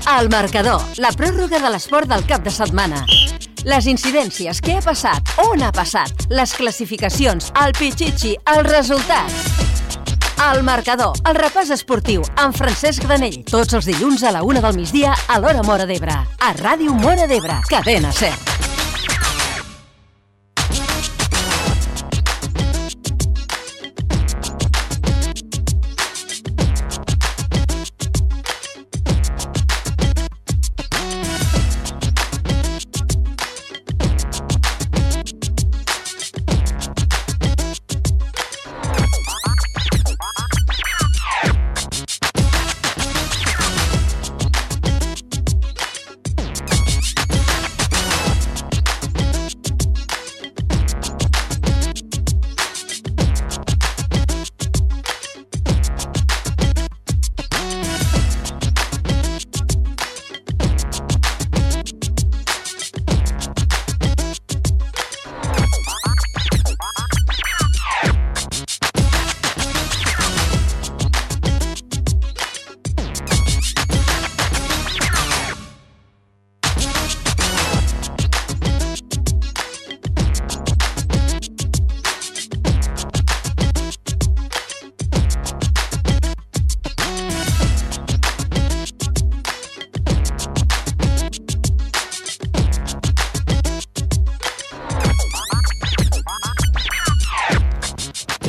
El marcador, la pròrroga de l'esport del cap de setmana. Les incidències, què ha passat, on ha passat, les classificacions, el pitxitxi, els resultats. El marcador, el repàs esportiu, amb Francesc Granell, tots els dilluns a la 1 del migdia a l'hora Móra d'Ebre. A Ràdio Móra d'Ebre, Cadena Ser.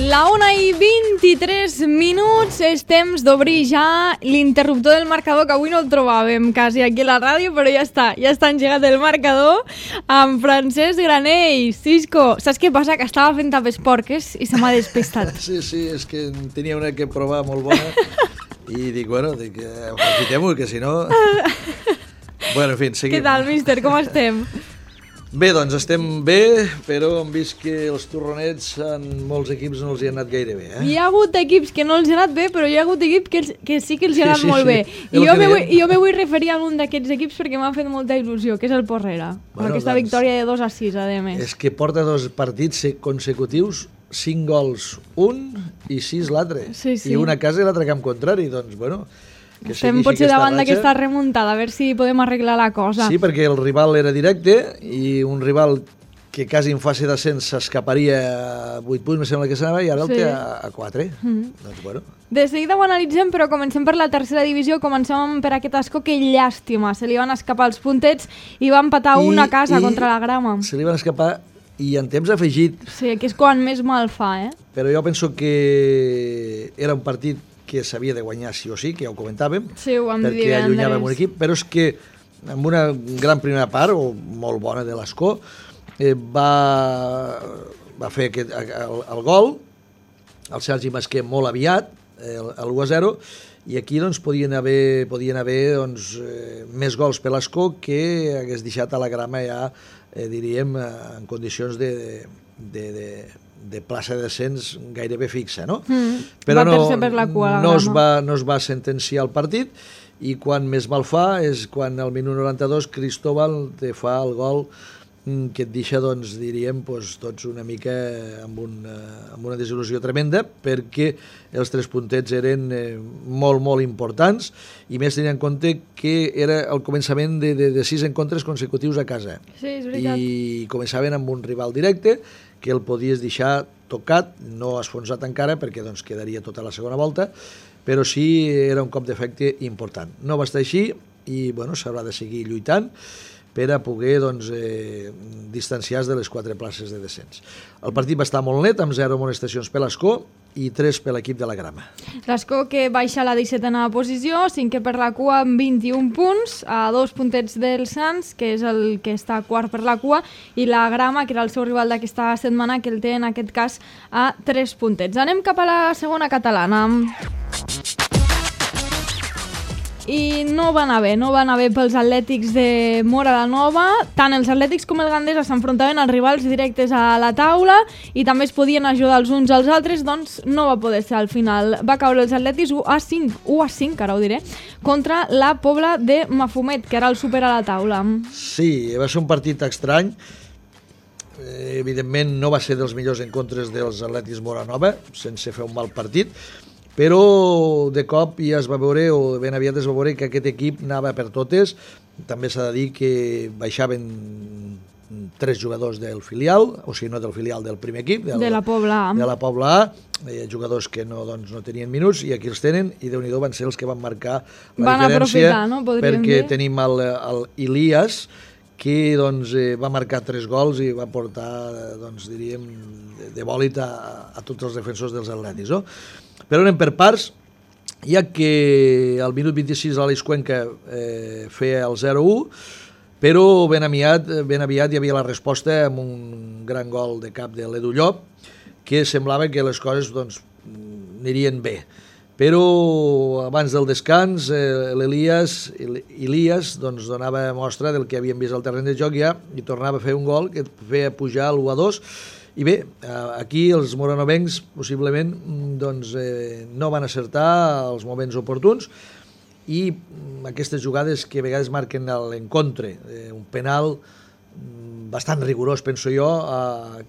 La 1:23, és temps d'obrir ja l'interruptor del marcador, que avui no el trobàvem quasi aquí a la ràdio, però ja està engegat el marcador amb Francesc Granell. Cisco, saps què passa? Que estava fent tapes porques i se m'ha despistat. Sí, és que tenia una que provar molt bona i dic, aprofitem-ho, que si no... Bueno, en fi, seguim. Què tal, míster? Com estem? Bé, doncs estem bé, però hem vist que els torronets en molts equips no els hi han anat gaire bé. Hi ha hagut equips que no els hi ha anat bé, però hi ha hagut equips que sí que els hi ha anat molt bé. I jo me vull referir a un d'aquests equips perquè m'ha fet molta il·lusió, que és el Porrera, amb aquesta victòria de 2-6, a més. És que porta 2 partits consecutius, 5 gols un i 6 l'altre. Sí. I una a casa i l'altre camp contrari, doncs, bueno... Estem potser davant d'aquesta remuntada, a veure si podem arreglar la cosa. Sí, perquè el rival era directe i un rival que quasi en fase d'ascens s'escaparia a 8 punts, me sembla que s'anava, i ara el té a 4. Doncs, bueno. De seguida ho analitzem, però comencem per la tercera divisió. Comencem per aquest Ascó, que llàstima. Se li van escapar els puntets i va empatar una casa contra la Grama. Se li van escapar i en temps afegit. Sí, que és quan més mal fa, Però jo penso que era un partit que s'havia de guanyar sí o sí, que ja ho comentàvem, perquè allunyàvem un equip, però és que amb una gran primera part, o molt bona de l'Ascó, va fer el gol, el Sergi Masquer molt aviat, el 1-0, i aquí doncs, podien haver doncs, més gols per l'Ascó que hagués deixat a la Grama ja, diríem, en condicions de plaça de descens gairebé fixa, no? Però no es va sentenciar el partit, i quan més mal fa és quan al minut 92 Cristóbal te fa el gol que et deixa, doncs, diríem, tots una mica amb una desil·lusió tremenda, perquè els 3 puntets eren molt, molt importants, i més tenint en compte que era el començament de 6 encontres consecutius a casa. Sí, és veritat. I començaven amb un rival directe, que el podies deixar tocat, no esfonsat encara, perquè doncs, quedaria tota la segona volta, però sí era un cop d'efecte important. No va estar així i s'haurà de seguir lluitant per a poder distanciar-se de les 4 places de descens. El partit va estar molt net, amb 0 amonestacions per l'Ascó i 3 per l'equip de la Grama. L'Ascó, que baixa a la 17a posició, 5è per la cua amb 21 punts, a 2 puntets del Sants, que és el que està quart per la cua, i la Grama, que era el seu rival d'aquesta setmana, que el té en aquest cas a 3 puntets. Anem cap a la segona catalana. I no va anar bé pels atlètics de Móra la Nova. Tant els atlètics com el Gandesa s'enfrontaven als rivals directes a la taula i també es podien ajudar els uns als altres, doncs no va poder ser al final. Va caure els atlètics 1-5, ara ho diré, contra la Pobla de Mafumet, que ara el supera a la taula. Sí, va ser un partit estrany. Evidentment no va ser dels millors encontres dels atlètics Móra Nova, sense fer un mal partit, però de cop ja es va veure, o ben aviat es va veure, que aquest equip anava per totes. També s'ha de dir que baixaven 3 jugadors del filial, o sigui, no del filial, del primer equip, de la Pobla A. De la Pobla A, jugadors que no tenien minuts, i aquí els tenen, i Déu-n'hi-do van ser els que van marcar la diferència, no? perquè tenim el Ilias, que va marcar 3 gols i va portar, diríem, de bòlit a tots els defensors dels atlètics, no? Però anem per parts, ja que al minut 26 l'Aleix Cuenca feia el 0-1, però ben aviat hi havia la resposta amb un gran gol de cap de l'Edu Llop, que semblava que les coses anirien bé. Però abans del descans l'Ilias donava mostra del que havíem vist al terreny de joc ja, i tornava a fer un gol que feia pujar l'1-2. I bé, aquí els moranovencs possiblement no van acertar els moments oportuns, i aquestes jugades que a vegades marquen l'encontre, un penal bastant rigorós, penso jo,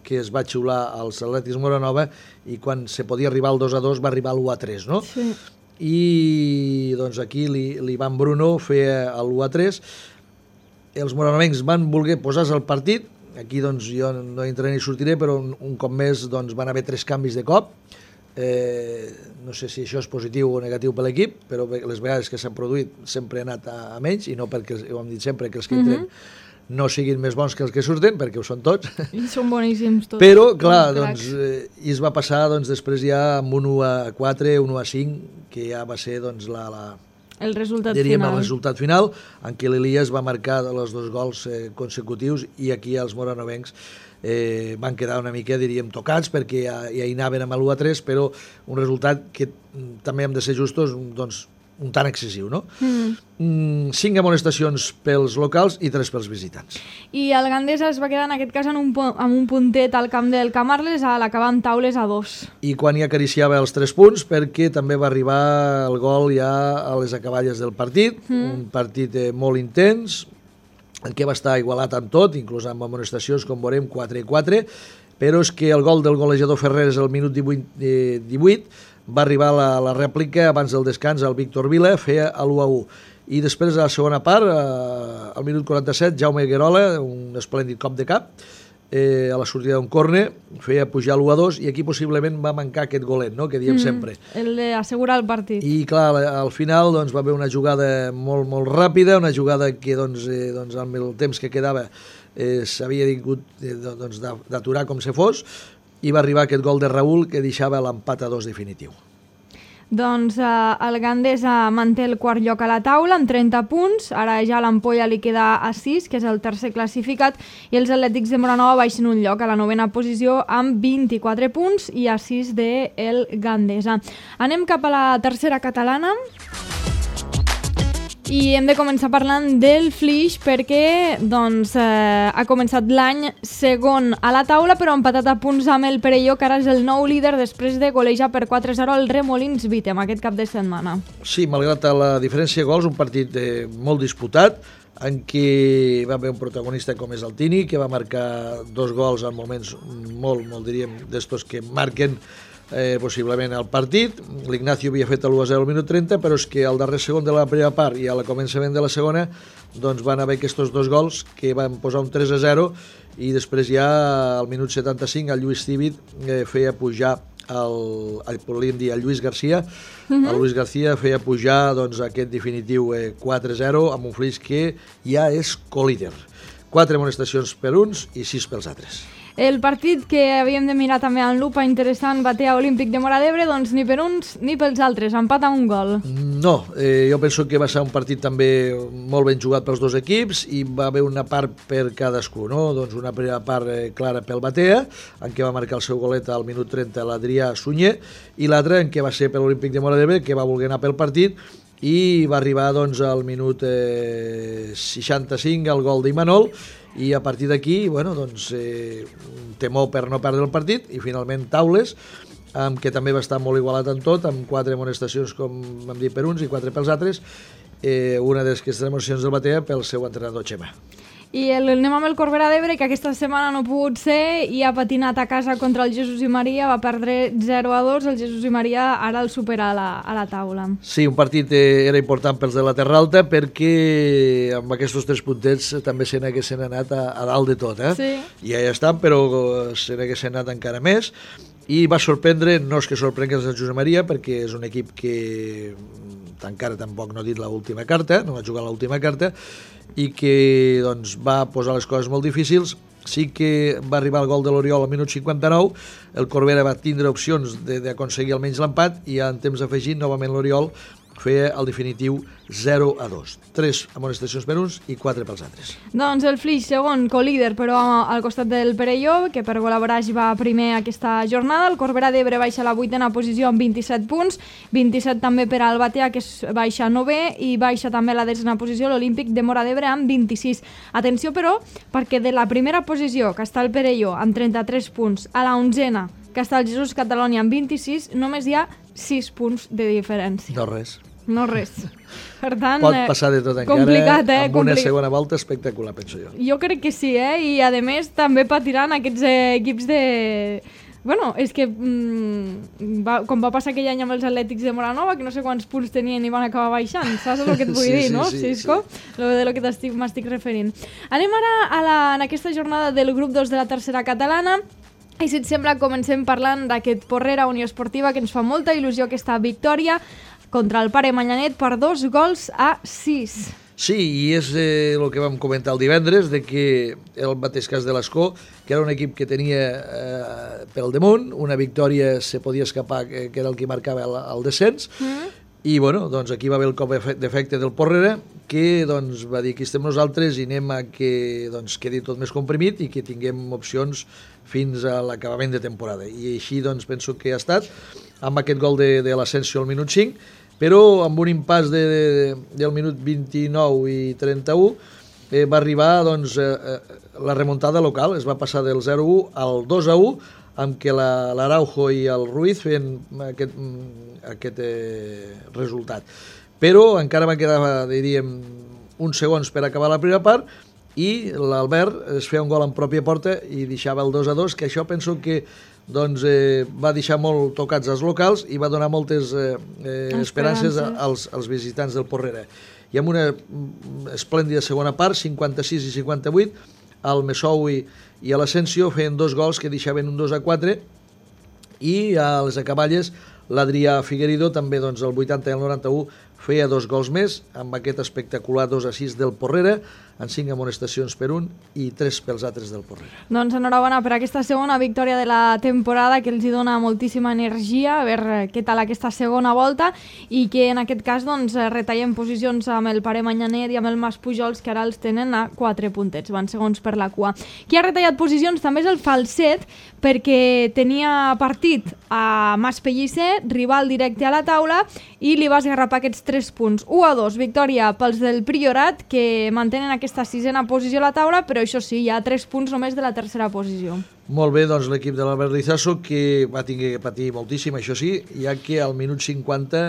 que es va xiular als Atlètics Moranova, i quan se podia arribar al 2-2 va arribar al 1-3, no? Sí. I aquí l'Ivan Bruno feia el 1-3. Els moranovencs van voler posar-se al partit. Aquí jo no entraré ni sortiré, però un cop més van haver 3 canvis de cop. No sé si això és positiu o negatiu per l'equip, però les vegades que s'han produït sempre ha anat a menys, i no perquè, ho hem dit sempre, que els que entren no siguin més bons que els que surten, perquè ho són tots. I són boníssims tots. Però, clar, i es va passar després ja amb un 1-4, un 1-5, que ja va ser el resultat final. El resultat final, en què l'Ilias va marcar els 2 gols consecutius, i aquí els moranovencs van quedar una mica, diríem, tocats, perquè ja hi anaven amb l'1-3, però un resultat que també hem de ser justos, un tant excessiu, no? 5 amonestacions pels locals i 3 pels visitants. I el Gandesa es va quedar en aquest cas amb un puntet al camp del Camarles, a l'acabar amb taules a 2. I quan hi acariciava els 3 punts, perquè també va arribar el gol ja a les acaballes del partit, un partit molt intens, en què va estar igualat amb tot, inclús amb amonestacions, com veurem, 4-4, però és que el gol del golejador Ferreres al minut 18 va arribar la rèplica abans del descans, el Víctor Vila feia l'1-1. I després, a la segona part, al minut 47, Jaume Guerola, un esplèndid cop de cap, a la sortida d'un córner, feia pujar l'1-2, i aquí possiblement va mancar aquest golet, no?, que diem sempre. El d'assegurar el partit. I clar, al final va haver una jugada molt, molt ràpida, una jugada que amb el temps que quedava s'havia tingut d'aturar com se fos, i va arribar aquest gol de Raül que deixava l'empat a 2 definitiu. Doncs el Gandesa manté el quart lloc a la taula amb 30 punts, ara ja l'Ampolla li queda a 6, que és el tercer classificat, i els Atlètics de Moranova baixen un lloc a la 9ª posició amb 24 punts i a 6 del Gandesa. Anem cap a la tercera catalana. I hem de començar parlant del Flix perquè ha començat l'any segon a la taula, però empatat a punts amb el Perelló, que ara és el nou líder després de golejar per 4-0 el Remolins Vítem aquest cap de setmana. Sí, malgrat la diferència de gols, un partit molt disputat, en què va haver un protagonista com és el Tini, que va marcar 2 gols en moments molt, diríem, d'estos que marquen possiblement el partit. L'Ignacio havia fet l'1-0 al minut 30, però és que al darrer segon de la primera part i al començament de la segona van haver aquests 2 gols que van posar un 3-0, i després ja al minut 75 el Lluís Cívic feia pujar el Lluís García. El Lluís García feia pujar aquest definitiu 4-0 amb un Flix que ja és colíder. 4 amonestacions per uns i 6 pels altres. El partit que havíem de mirar també en lupa interessant, Batea Olímpic de Móra d'Ebre, doncs ni per uns ni pels altres, empat a un gol. No, jo penso que va ser un partit també molt ben jugat pels 2 equips, i va haver una part per cadascú, no? Doncs una primera part clara pel Batea, en què va marcar el seu golet al minut 30 l'Adrià Sunyer, i l'altra en què va ser per l'Olímpic de Móra d'Ebre, que va voler anar pel partit, i va arribar al minut 65 el gol d'Imanol, i a partir d'aquí, temor per no perdre el partit, i finalment taules, que també va estar molt igualat en tot, amb 4 amonestacions, com vam dir, per uns i 4 pels altres, una d'aquestes amonestacions del Batea pel seu entrenador Xema. I anem amb el Corbera d'Ebre, que aquesta setmana no ha pogut ser i ha patinat a casa contra el Jesús i Maria, va perdre 0-2, el Jesús i Maria ara el supera a la taula. Sí, un partit era important pels de la Terra Alta perquè amb aquests 3 puntets també se n'haguessin anat a dalt de tot, Sí. I ja estan, però se n'haguessin anat encara més, i va sorprendre, no és que sorprengui el Josep Maria, perquè és un equip que encara tampoc no ha dit l'última carta, no va jugar l'última carta, i que doncs, va posar les coses molt difícils. Sí que va arribar el gol de l'Oriol al minut 59, el Corbera va tindre opcions d'aconseguir almenys l'empat, i en temps afegit, novament l'Oriol feia el definitiu 0-2. 3 amonestacions per uns i 4 pels altres. Doncs el Flix, segon, co-líder, però al costat del Perelló, que per col·laborar va primer aquesta jornada. El Corbera d'Ebre baixa a la 8a posició amb 27 punts, 27 també per al Batea, que baixa a 9è, i baixa també a la 10a posició l'Olímpic de Móra d'Ebre amb 26. Atenció, però, perquè de la primera posició, que està el Perelló amb 33 punts, a la 11a, que està el Jesús Catalònia amb 26, només hi ha 6 punts de diferència. No res. No res. Per tant, pot passar de tot encara, complicat, amb una segona volta espectacular, penso jo. Jo crec que sí, i a més també patiran aquests equips de... Bueno, és que com va passar aquell any amb els Atlètics de Moranova, que no sé quants punts tenien i van acabar baixant, saps el que et vull dir, no, Cisco? De lo que m'estic referint. Anem ara en aquesta jornada del grup 2 de la tercera catalana, i si et sembla comencem parlant d'aquest Porrera Unió Esportiva, que ens fa molta il·lusió aquesta victòria contra el Pare Manyanet per 2-6. Sí, i és el que vam comentar el divendres, de que el mateix cas de l'Escó, que era un equip que tenia pel damunt, una victòria se podia escapar, que era el que marcava el descens, i bueno, doncs aquí va haver el cop d'efecte del Porrera, que doncs, va dir que estem nosaltres i anem a que doncs, quedi tot més comprimit i que tinguem opcions fins a l'acabament de temporada. I així doncs, penso que ha estat, amb aquest gol de l'Asensio al minut 5, però amb un impàs del minut 29 i 31 va arribar doncs, la remuntada local, es va passar del 0-1 al 2-1, amb què l'Araujo i el Ruiz feien aquest resultat. Però encara van quedar, diríem, uns segons per acabar la primera part, i l'Albert es feia un gol en pròpia porta i deixava el 2-2, que això penso que doncs, va deixar molt tocats els locals i va donar moltes esperances als visitants del Porrera. I amb una esplèndida segona part, 56 i 58, el Messoui i l'Asensio feien 2 gols que deixaven un 2-4, i a les acaballes l'Adrià Figueredo també doncs, el 80 i el 91 feia 2 gols més, amb aquest espectacular 2-6 del Porrera, en 5 amonestacions per un i 3 pels altres del Porrera. Doncs enhorabona per aquesta segona victòria de la temporada, que els hi dona moltíssima energia, a veure què tal aquesta segona volta, i que en aquest cas doncs, retallem posicions amb el Pare Manyanet i amb el Mas Pujols, que ara els tenen a 4 puntets, van segons per la cua. Qui ha retallat posicions també és el Falset, perquè tenia partit a Mas Pellicer, rival directe a la taula, i li va esgarrapar aquests 3 punts. 1-2, victòria pels del Priorat, que mantenen aquesta 6a posició a la taula, però això sí, hi ha 3 punts només de la tercera posició. Molt bé, doncs l'equip de l'Albert Rizaso, que va tenir que patir moltíssim, això sí, ja que al minut 50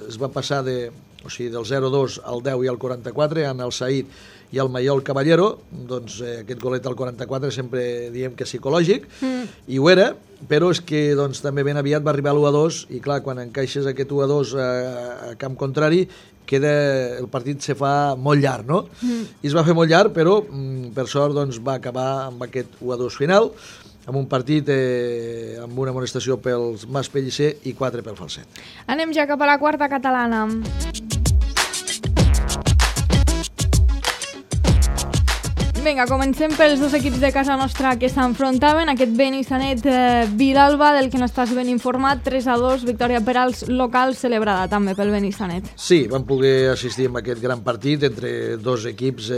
es va passar del 0-2 al 10 i al 44, en el Saïd i el Maiol Caballero, doncs aquest golet al 44 sempre diem que és psicològic, i ho era, però és que doncs, també ben aviat va arribar l'1-2, i clar, quan encaixes aquest 1-2 a camp contrari, el partit se fa molt llarg, no? I es va fer molt llarg, però per sort doncs, va acabar amb aquest 1-2 final, amb un partit amb una amonestació pels Mas Pellicer i 4 pel Falset. Anem ja cap a la quarta catalana. Vinga, comencem pels 2 equips de casa nostra que s'enfrontaven. Aquest Benissanet Vilalba, del que n'estàs ben informat, 3-2, victòria per als locals, celebrada també pel Benissanet. Sí, vam poder assistir a aquest gran partit entre 2 equips,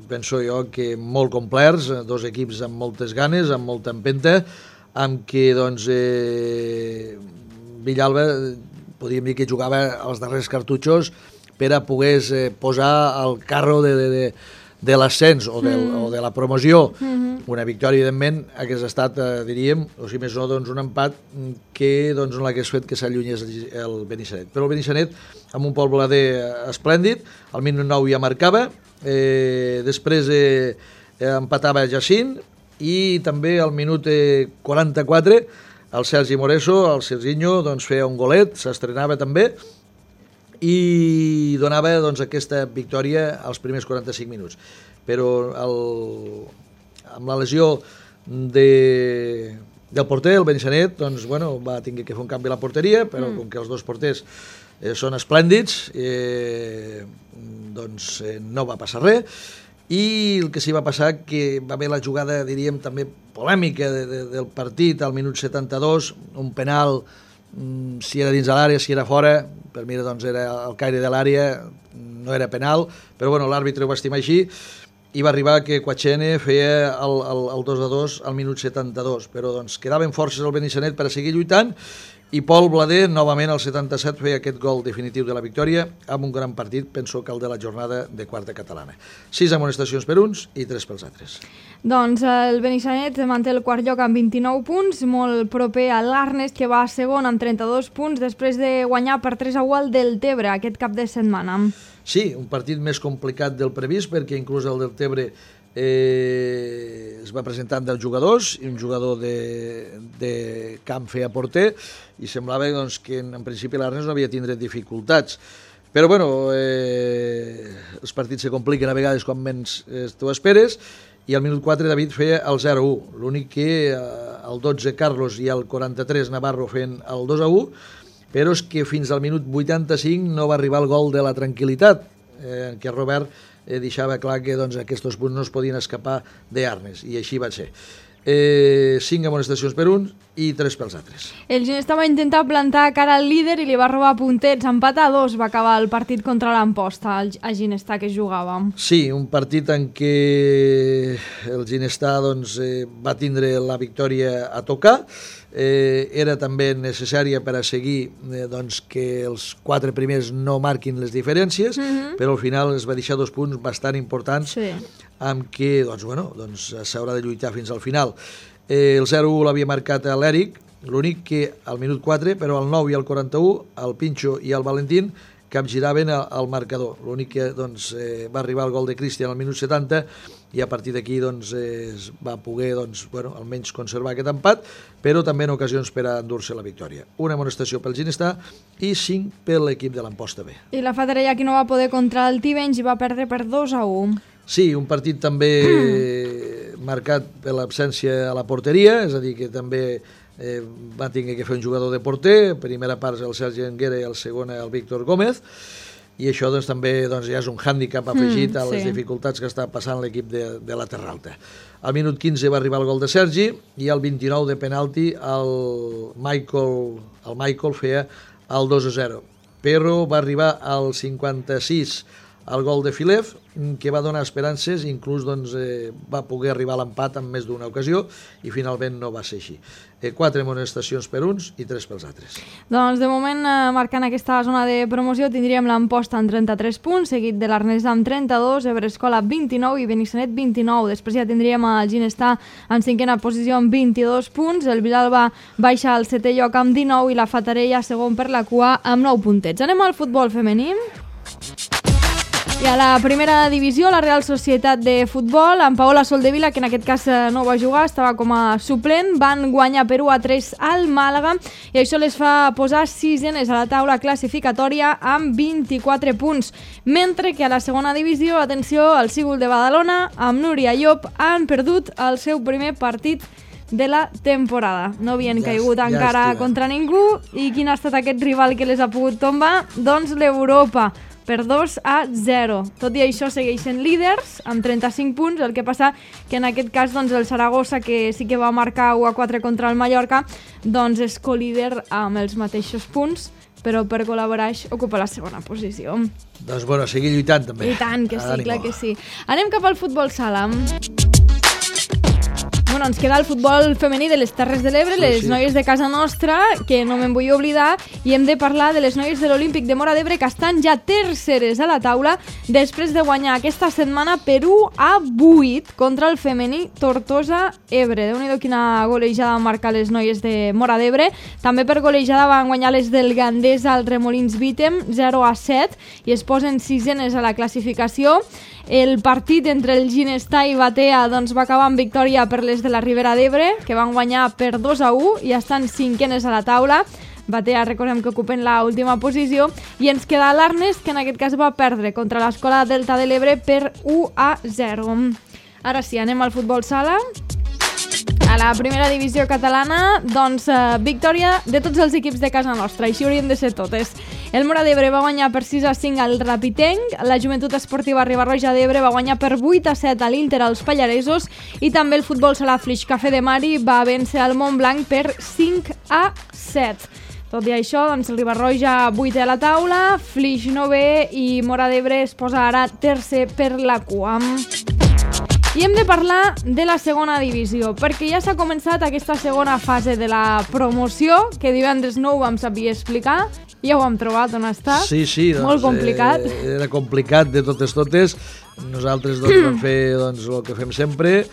penso jo, que molt complerts, 2 equips amb moltes ganes, amb molta empenta, amb què doncs, Villalba podríem dir que jugava als darrers cartutxos per a poder posar el carro de l'ascens o de la promoció. Una victòria, evidentment, hagués estat, diríem, o si més no, doncs, un empat que doncs, no l'hagués fet que s'allunyés el Benissanet. Però el Benissanet, amb un poblader esplèndid, al minut 9 ja marcava, després empatava Jacint, i també al minut 44 el Sergi Moreso, el Serginho, doncs, feia un golet, s'estrenava també, i donava doncs, aquesta victòria als primers 45 minuts. Però amb la lesió del porter, el Benissanet, doncs, bueno, va tenir que fer un canvi a la porteria, però com que els dos porters són esplèndids, doncs no va passar res. I el que sí va passar que va haver la jugada, diríem, també polèmica del partit al minut 72, un penal, si era dins de l'àrea, si era fora, per mi doncs era al caire de l'àrea, no era penal, però bueno, l'àrbitre ho va estimar així, i va arribar que Quachene feia el 2-2 al minut 72, però doncs quedaven forces al Benissanet per a seguir lluitant, i Pol Blader, novament al 77, feia aquest gol definitiu de la victòria, amb un gran partit, penso que el de la jornada de quarta catalana. 6 amonestacions per uns i 3 pels altres. Doncs el Benissanet manté el quart lloc amb 29 punts, molt proper a l'Arnes, que va segon amb 32 punts, després de guanyar per 3-1 al Deltebre aquest cap de setmana. Sí, un partit més complicat del previst, perquè inclús el Deltebre es va presentar amb 10 jugadors i un jugador de camp feia porter, i semblava doncs, que en principi l'Arnes no havia tindre dificultats. Però bueno, els partits se compliquen a vegades quan menys t'ho esperes, i al minut 4 David feia el 0-1. L'únic que el 12 Carlos i el 43 Navarro feien el 2-1, però és que fins al minut 85 no va arribar el gol de la tranquil·litat, en què Robert deixava clar que doncs, aquests punts no es podien escapar d'Arnes, i així va ser. 5 amonestacions per un i 3 pels altres. El Ginestà va intentar plantar cara al líder i li va robar puntets. Empat a 2 va acabar el partit contra l'Amposta, a Ginestà, que jugava. Sí, un partit en què el Ginestà doncs, va tindre la victòria a tocar. Era també necessària per a seguir doncs, que els 4 primers no marquin les diferències, però al final es va deixar 2 punts bastant importants, amb què doncs, s'haurà de lluitar fins al final. El 0-1 l'havia marcat l'Eric, l'únic que al minut 4, però al 9 i al 41, el Pinxo i el Valentín capgiraven el marcador. L'únic que doncs, va arribar el gol de Cristian al minut 70, i a partir d'aquí doncs, es va poder doncs, almenys conservar aquest empat, però també en ocasions per a endur-se la victòria. Una amonestació pel Ginestà i 5 per l'equip de l'Amposta B. I la Fatarella, que no va poder contra el Tivenys, i va perdre per 2-1. Sí, un partit també marcat per l'absència a la porteria, és a dir, que també va tenir que fer un jugador de porter, primera part el Sergi Anguera i el segon el Víctor Gómez, i això doncs, també doncs, ja és un hàndicap afegit a les dificultats que està passant l'equip de la Terra Alta. Al minut 15 va arribar el gol de Sergi, i al 29 de penalti el Michael feia el 2-0. Però va arribar al 56 el gol de Filev, que va donar esperances, inclús doncs, va poder arribar a l'empat en més d'una ocasió, i finalment no va ser així. 4 amonestacions per uns i 3 pels altres. Doncs de moment, marcant aquesta zona de promoció, tindríem l'Amposta amb 33 punts, seguit de l'Arnes amb 32, Ebrescola 29 i Benissanet 29. Després ja tindríem el Ginestà en 5a posició amb 22 punts, el Vilalba baixa al 7è lloc amb 19 i la Fatarella segon per la cua amb 9 puntets. Anem al futbol femení. I a la primera divisió, la Real Societat de Futbol, amb Paola Soldevila, que en aquest cas no va jugar, estava com a suplent, van guanyar per 1-3 al Màlaga, i això les fa posar 6enes a la taula classificatòria amb 24 punts. Mentre que a la segona divisió, atenció, el Sígul de Badalona, amb Núria Llop, han perdut el seu primer partit de la temporada. No havien caigut encara contra ningú, i quin ha estat aquest rival que les ha pogut tombar? Doncs l'Europa, per 2-0. Tot i això segueixen líders amb 35 punts, el que passa que en aquest cas doncs, el Saragossa, que sí que va marcar 1-4 contra el Mallorca, doncs és colíder amb els mateixos punts, però per col·laborar ocupa la segona posició. Doncs bueno, seguir lluitant també. I tant que sí, clar que sí. Anem cap al futbol sala. Bueno, ens queda el futbol femení de les Terres de l'Ebre, les noies de casa nostra, que no me'n vull oblidar, i hem de parlar de les noies de l'Olímpic de Móra d'Ebre, que estan ja terceres a la taula després de guanyar aquesta setmana per 1-8 contra el femení Tortosa-Ebre. Déu-n'hi-do quina golejada van marcar les noies de Móra d'Ebre. També per golejada van guanyar les del Gandesa al Remolins Vítem 0-7 i es posen 6enes a la classificació. El partit entre el Ginestar i Batea va acabar amb victòria per les de la Ribera d'Ebre, que van guanyar per 2-1 i estan cinquenes a la taula. Batea, recordem que ocupen l'última posició, i ens queda l'Arnes, que en aquest cas va perdre contra l'Escola Delta de l'Ebre per 1-0. Ara sí, anem al futbol sala. A la primera divisió catalana, victòria de tots els equips de casa nostra, així haurien de ser totes. El Móra d'Ebre va guanyar per 6-5 al Rapitenc, la Joventut Esportiva Riba-roja d'Ebre va guanyar per 8-7 a l'Inter als Pallaresos, i també el futbol sala Flix Cafè de Mari va vèncer el Montblanc per 5-7. Tot i això, el Riba-roja 8è a la taula, Flix 9è i Móra d'Ebre es posa ara tercer per la cua. I hem de parlar de la segona divisió, perquè ja s'ha començat aquesta segona fase de la promoció, que divendres no ho vam saber explicar, ja ho hem trobat on està. Sí, molt complicat. Era complicat de totes. Nosaltres vam fer el que fem sempre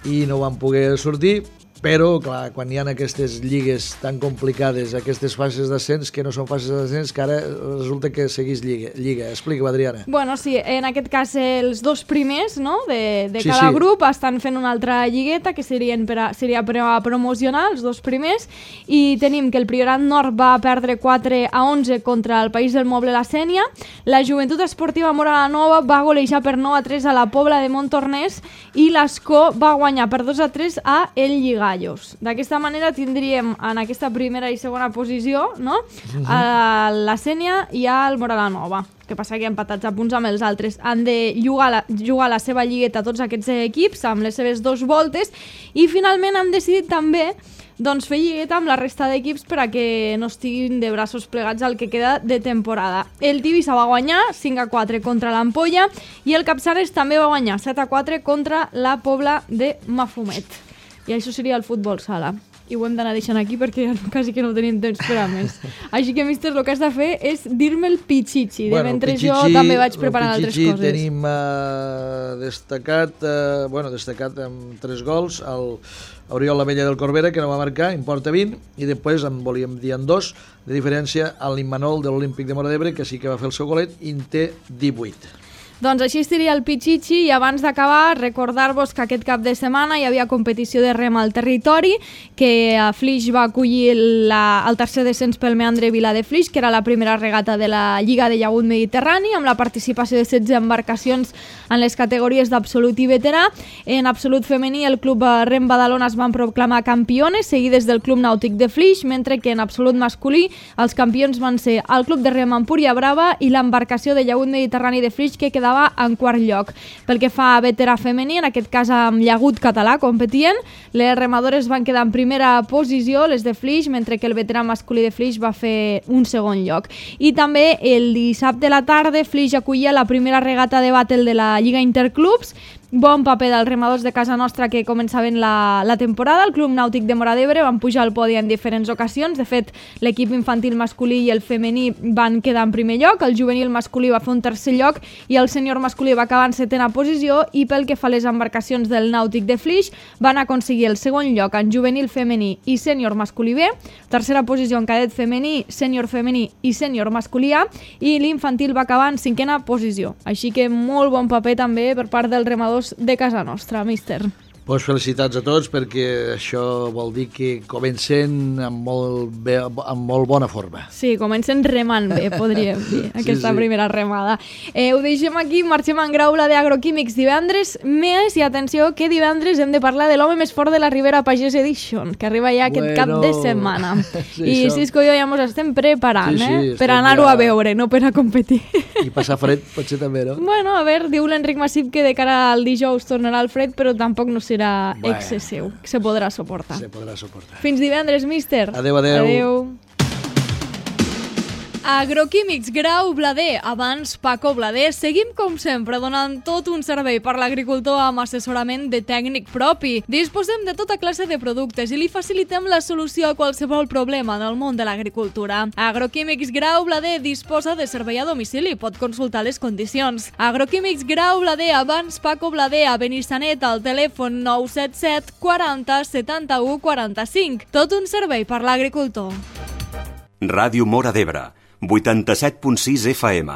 i no vam poder sortir, però clar, quan hi ha aquestes lligues tan complicades, aquestes fases d'ascens que no són fases d'ascens, que ara resulta que seguís lliga. Explica-ho, Adriana. Bueno, sí, en aquest cas els dos primers, no?, de cada grup estan fent una altra lligueta que seria per a promocionar els dos primers, i tenim que el Priorat Nord va perdre 4-11 contra el País del Moble la Sénia, la Joventut Esportiva Móra la Nova va golejar per 9-3 a la Pobla de Montornès i l'Escó va guanyar per 2-3 a El Lligat. D'aquesta manera tindríem en aquesta primera i segona posició, no?, a la Sénia i al Móra la Nova. Que passa que empatats a punts amb els altres. Han de jugar la seva lligueta tots aquests equips amb les seves 2 voltes, i finalment han decidit també fer lligueta amb la resta d'equips per a que no estiguin de braços plegats al que queda de temporada. El Tivissa va guanyar 5-4 contra l'Ampolla i el Capçanes també va guanyar 7-4 contra la Pobla de Mafumet. I això seria el futbol sala. I ho hem d'anar deixant aquí perquè quasi que no tenim temps per a més. Així que, míster, el que has de fer és dir-me el Pichichi, de mentre jo també vaig preparant altres coses. El Pichichi tenim destacat amb 3 gols, Oriol Lamella del Corbera, que no va marcar, en porta 20, i després en volíem dir en 2, de diferència a l'Immanol de l'Olímpic de Móra d'Ebre, que sí que va fer el seu golet, i en té 18. Doncs així estaria el Pichichi, i abans d'acabar recordar-vos que aquest cap de setmana hi havia competició de rem al territori, que a Flix va acollir el tercer descens pel meandre Vila de Flix, que era la primera regata de la Lliga de Llagut Mediterrani, amb la participació de 16 embarcacions en les categories d'absolut i veterà. En absolut femení el Club Rem Badalona es van proclamar campiones, seguides del Club Nàutic de Flix, mentre que en absolut masculí els campions van ser el Club de Rem Empúria Brava i l'embarcació de Llagut Mediterrani de Flix, que quedava en quart lloc. Pel que fa a veterà femení, en aquest cas amb Llagut Català competien, les remadores van quedar en primera posició, les de Flix, mentre que el veterà masculí de Flix va fer un segon lloc. I també el dissabte a la tarda Flix acollia la primera regata de bàtel de la Lliga Interclubs. Bon paper dels remadors de casa nostra que començaven la temporada. El Club Nàutic de Móra d'Ebre van pujar al podi en diferents ocasions. De fet, l'equip infantil masculí i el femení van quedar en primer lloc, el juvenil masculí va fer un tercer lloc i el sènior masculí va acabar en 7a posició, i pel que fa a les embarcacions del Nàutic de Flix van aconseguir el segon lloc en juvenil femení i sènior masculí B, tercera posició en cadet femení, sènior femení i sènior masculí A, i l'infantil va acabar en 5a posició. Així que molt bon paper també per part dels remadors de casa nostra, míster. Pues felicitats a tots, perquè això vol dir que comencen amb molt bona forma. Sí, comencen remant bé, podríem dir, aquesta primera remada. Ho deixem aquí, marxem en graula d'Agroquímics divendres més, i atenció que divendres hem de parlar de l'home més fort de la Ribera Pagès Edition, que arriba ja aquest cap de setmana. I Cisco i jo ja ens estem preparant, per anar-ho a veure, no per a competir. I passar fred, potser també, no? Bueno, a veure, diu l'Enric Massip que de cara al dijous tornarà el fred, però tampoc no serà excessiu, que se podrà suportar. Fins divendres, míster. Adéu, adéu. Adéu. Agroquímics Grau Blader, abans Paco Blader. Seguim com sempre donant tot un servei per l'agricultor amb assessorament de tècnic propi. Disposem de tota classe de productes i li facilitem la solució a qualsevol problema en el món de l'agricultura. Agroquímics Grau Blader disposa de servei a domicili, pot consultar les condicions. Agroquímics Grau Blader, abans Paco Blader, a Benissanet, al telèfon 977 40 71 45. Tot un servei per l'agricultor. Ràdio Móra d'Ebre, 87.6 FM.